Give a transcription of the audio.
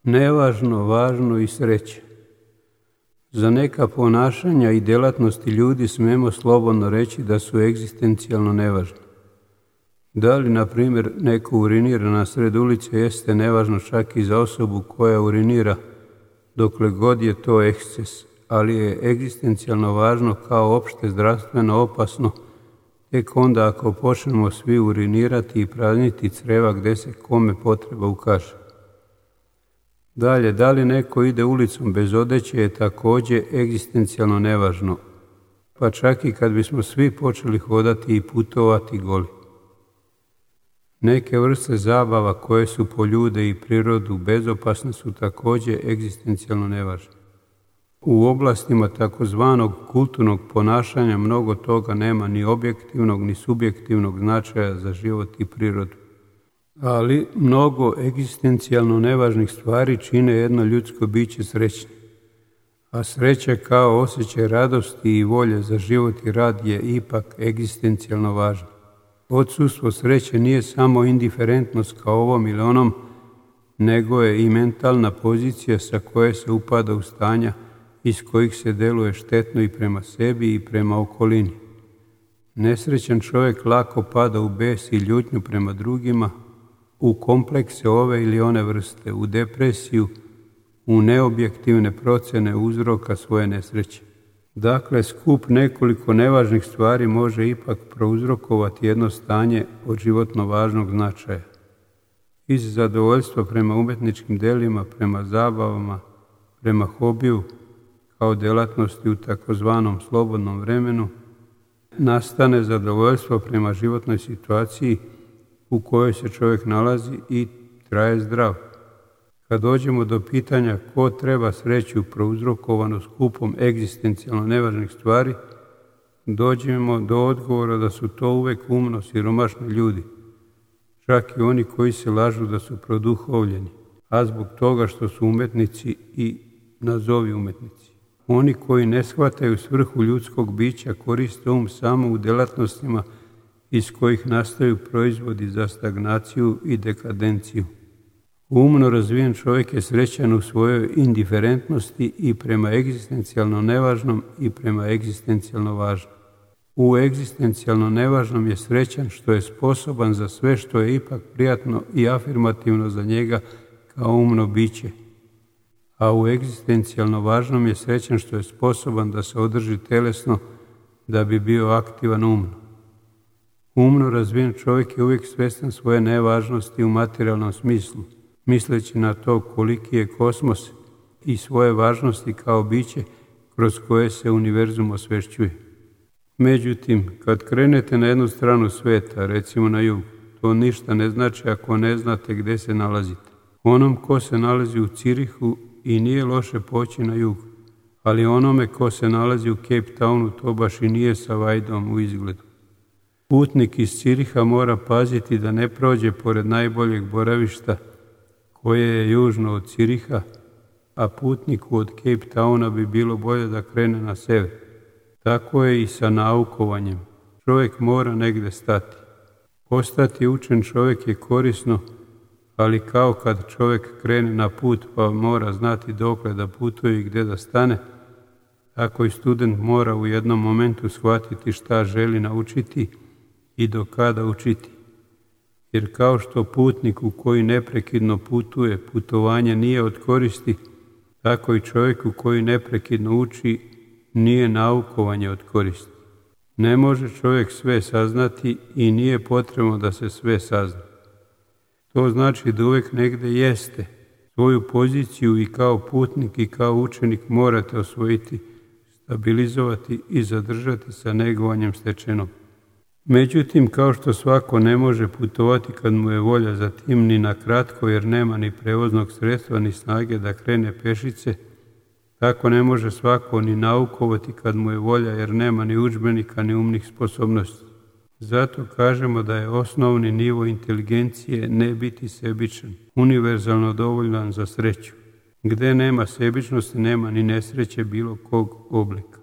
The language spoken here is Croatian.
Nevažno, važno i sreće. Za neka ponašanja i djelatnosti ljudi smemo slobodno reći da su egzistencijalno nevažne. Da li, na primjer, neko urinira na sred ulice jeste nevažno čak i za osobu koja urinira, dokle god je to eksces, ali je egzistencijalno važno kao opšte zdravstveno opasno tek onda ako počnemo svi urinirati i prazniti creva gdje se kome potreba ukaže. Dalje, da li neko ide ulicom bez odeće je također egzistencijalno nevažno, pa čak i kad bismo svi počeli hodati i putovati goli. Neke vrste zabava koje su po ljude i prirodu bezopasne su također egzistencijalno nevažne. U oblastima takozvanog kulturnog ponašanja mnogo toga nema ni objektivnog ni subjektivnog značaja za život i prirodu. Ali mnogo egzistencijalno nevažnih stvari čine jedno ljudsko biće srećnim. A sreća kao osjećaj radosti i volje za život i rad je ipak egzistencijalno važna. Odsustvo sreće nije samo indiferentnost kao ovom ili onom, nego je i mentalna pozicija sa koje se upada u stanja iz kojih se deluje štetno i prema sebi i prema okolini. Nesrećan čovjek lako pada u bes i ljutnju prema drugima, u komplekse ove ili one vrste, u depresiju, u neobjektivne procjene uzroka svoje nesreće. Dakle, skup nekoliko nevažnih stvari može ipak prouzrokovati jedno stanje od životno važnog značaja. Iz zadovoljstva prema umjetničkim delima, prema zabavama, prema hobiju, kao djelatnosti u takozvanom slobodnom vremenu, nastane zadovoljstvo prema životnoj situaciji u kojoj se čovjek nalazi i traje zdrav. Kad dođemo do pitanja ko treba sreću prouzrokovanu skupom egzistencijalno nevažnih stvari, dođemo do odgovora da su to uvek umno siromašni ljudi, čak i oni koji se lažu da su produhovljeni, a zbog toga što su umjetnici i nazovi umjetnici. Oni koji ne shvataju svrhu ljudskog bića koriste samo u djelatnostima iz kojih nastaju proizvodi za stagnaciju i dekadenciju. Umno razvijen čovjek je srećan u svojoj indiferentnosti i prema egzistencijalno nevažnom i prema egzistencijalno važnom. U egzistencijalno nevažnom je srećan što je sposoban za sve što je ipak prijatno i afirmativno za njega kao umno biće. A u egzistencijalno važnom je srećan što je sposoban da se održi telesno da bi bio aktivan umno. Umno razvijen čovjek je uvijek svjestan svoje nevažnosti u materijalnom smislu, misleći na to koliki je kosmos i svoje važnosti kao biće kroz koje se univerzum osvešćuje. Međutim, kad krenete na jednu stranu svijeta, recimo na jug, to ništa ne znači ako ne znate gdje se nalazite. Onom ko se nalazi u Cirihu i nije loše poći na jug, ali onome ko se nalazi u Cape Townu to baš i nije sa vajdom u izgledu. Putnik iz Ciriha mora paziti da ne prođe pored najboljeg boravišta koje je južno od Ciriha, a putniku od Cape Towna bi bilo bolje da krene na sever. Tako je i sa naukovanjem. Čovjek mora negdje stati. Postati učen čovjek je korisno, ali kao kad čovjek krene na put pa mora znati dokle da putuje i gdje da stane, tako i student mora u jednom momentu shvatiti šta želi naučiti i do kada učiti. Jer kao što putniku koji neprekidno putuje, putovanje nije od koristi, tako i čovjeku koji neprekidno uči nije naukovanje od koristi. Ne može čovjek sve saznati i nije potrebno da se sve sazna. To znači da uvijek negdje jeste. Svoju poziciju i kao putnik i kao učenik morate osvojiti, stabilizovati i zadržati sa negovanjem stečenog. Međutim, kao što svako ne može putovati kad mu je volja za tim ni na kratko jer nema ni prevoznog sredstva ni snage da krene pešice, tako ne može svako ni naukovati kad mu je volja jer nema ni udžbenika ni umnih sposobnosti. Zato kažemo da je osnovni nivo inteligencije ne biti sebičan, univerzalno dovoljan za sreću. Gdje nema sebičnosti, nema ni nesreće bilo kog oblika.